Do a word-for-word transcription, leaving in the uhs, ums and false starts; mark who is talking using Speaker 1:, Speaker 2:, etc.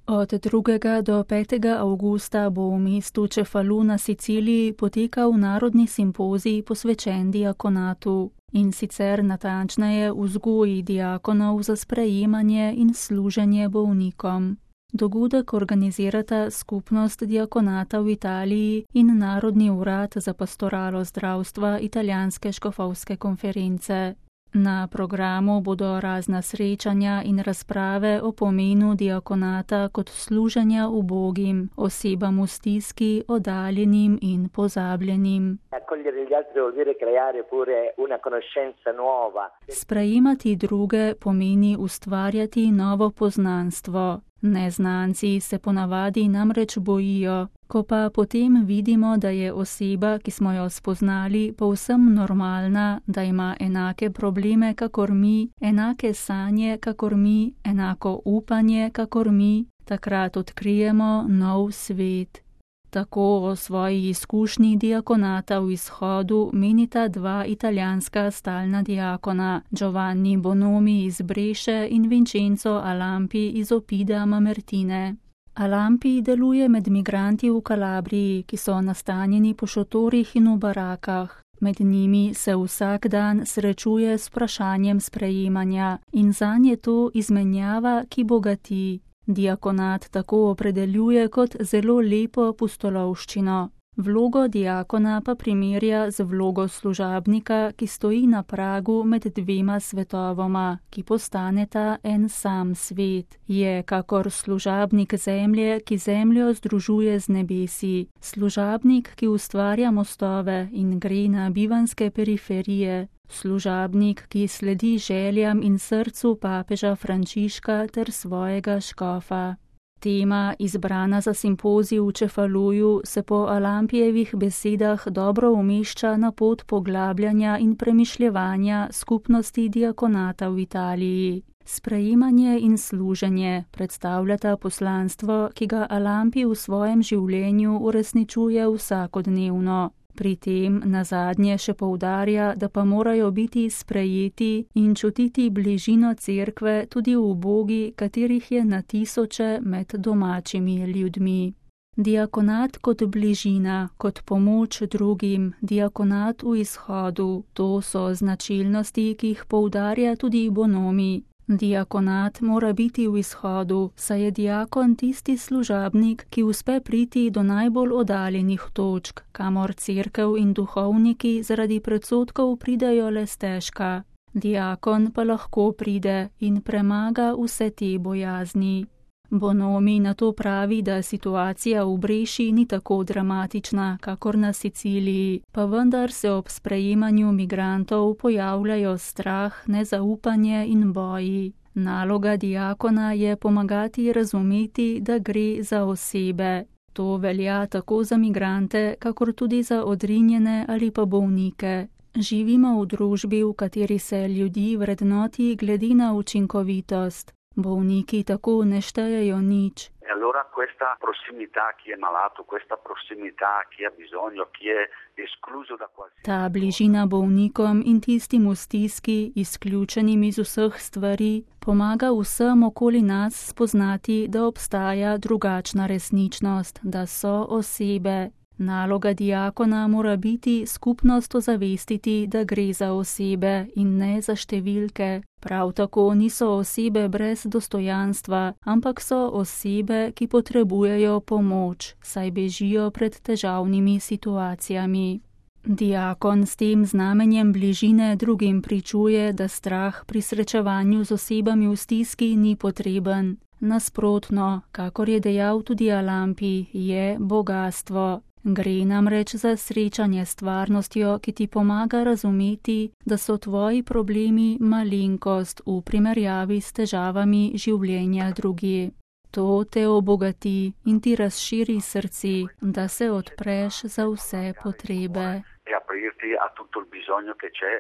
Speaker 1: Od drugega do petega avgusta bo v mestu Cefalu na Siciliji potekal narodni simpozij posvečen diakonatu, in sicer natančneje vzgoji diakonov za sprejemanje in služenje bolnikom. Dogodek organizirata Skupnost diakonata v Italiji in Narodni urad za pastoralo zdravstva Italijanske škofovske konference. Na programu bodo razna srečanja in razprave o pomenu diakonata kot služenja ubogim, osebam v stiski, oddaljenim in pozabljenim. Sprejemati druge pomeni ustvarjati novo poznanstvo. Neznanci se ponavadi namreč bojijo, ko pa potem vidimo, da je oseba, ki smo jo spoznali, povsem normalna, da ima enake probleme kakor mi, enake sanje kakor mi, enako upanje kakor mi, takrat odkrijemo nov svet. Tako o svoji izkušnji diakonata v izhodu menita dva italijanska stalna diakona, Giovanni Bonomi iz Breše in Vincenzo Alampi iz Oppida Mamertine. Alampi deluje med migranti v Kalabriji, ki so nastanjeni po šotorih in v barakah. Med njimi se vsak dan srečuje s vprašanjem sprejemanja in zanje je to izmenjava, ki bogati. Diakonat tako opredeljuje kot zelo lepo pustolovščino. Vlogo diakona pa primerja z vlogo služabnika, ki stoji na pragu med dvema svetovoma, ki postaneta en sam svet. Je kakor služabnik zemlje, ki zemljo združuje z nebesi, služabnik, ki ustvarja mostove in gre na bivanske periferije, služabnik, ki sledi željam in srcu papeža Frančiška ter svojega škofa. Tema, izbrana za simpozij v Cefaluju, se po Alampijevih besedah dobro umešča na pot poglabljanja in premišljevanja skupnosti diakonata v Italiji. Sprejemanje in služenje predstavljata poslanstvo, ki ga Alampi v svojem življenju uresničuje vsakodnevno. Pri tem nazadnje še poudarja, da pa morajo biti sprejeti in čutiti bližino cerkve tudi v ubogi, katerih je na tisoče med domačimi ljudmi. Diakonat kot bližina, kot pomoč drugim, diakonat v izhodu, to so značilnosti, ki jih poudarja tudi Bonomi. Diakonat mora biti v izhodu, saj je diakon tisti služabnik, ki uspe priti do najbolj oddaljenih točk, kamor cerkev in duhovniki zaradi predsodkov pridejo le stežka. Diakon pa lahko pride in premaga vse te bojazni. Bonomi na to pravi, da situacija v Breši ni tako dramatična, kakor na Siciliji, pa vendar se ob sprejemanju migrantov pojavljajo strah, nezaupanje in boji. Naloga diakona je pomagati razumeti, da gre za osebe. To velja tako za migrante, kakor tudi za odrinjene ali pa bolnike. Živimo v družbi, v kateri se ljudi vrednoti glede na učinkovitost. Bolniki tako ne štejejo nič.
Speaker 2: Allora questa prossimità, chi è malato, questa prossimità, chi ha bisogno, chi è escluso da qualsiasi.
Speaker 1: Ta bližina bolnikom in tistim v stiski, izključenim iz vseh stvari, pomaga vsem okoli nas spoznati, da obstaja drugačna resničnost, da so osebe. Naloga diakona mora biti skupnost ozavestiti, da gre za osebe in ne za številke. Prav tako niso osebe brez dostojanstva, ampak so osebe, ki potrebujejo pomoč, saj bežijo pred težavnimi situacijami. Diakon s tem znamenjem bližine drugim pričuje, da strah pri srečevanju z osebami v stiski ni potreben. Nasprotno, kakor je dejal tudi Alampi, je bogastvo. Gre namreč za srečanje s stvarnostjo, ki ti pomaga razumeti, da so tvoji problemi malenkost v primerjavi s težavami življenja drugih. To te obogati in ti razširi srce, da se odpreš za vse potrebe.
Speaker 2: E aprirti a tutto il bisogno che c'è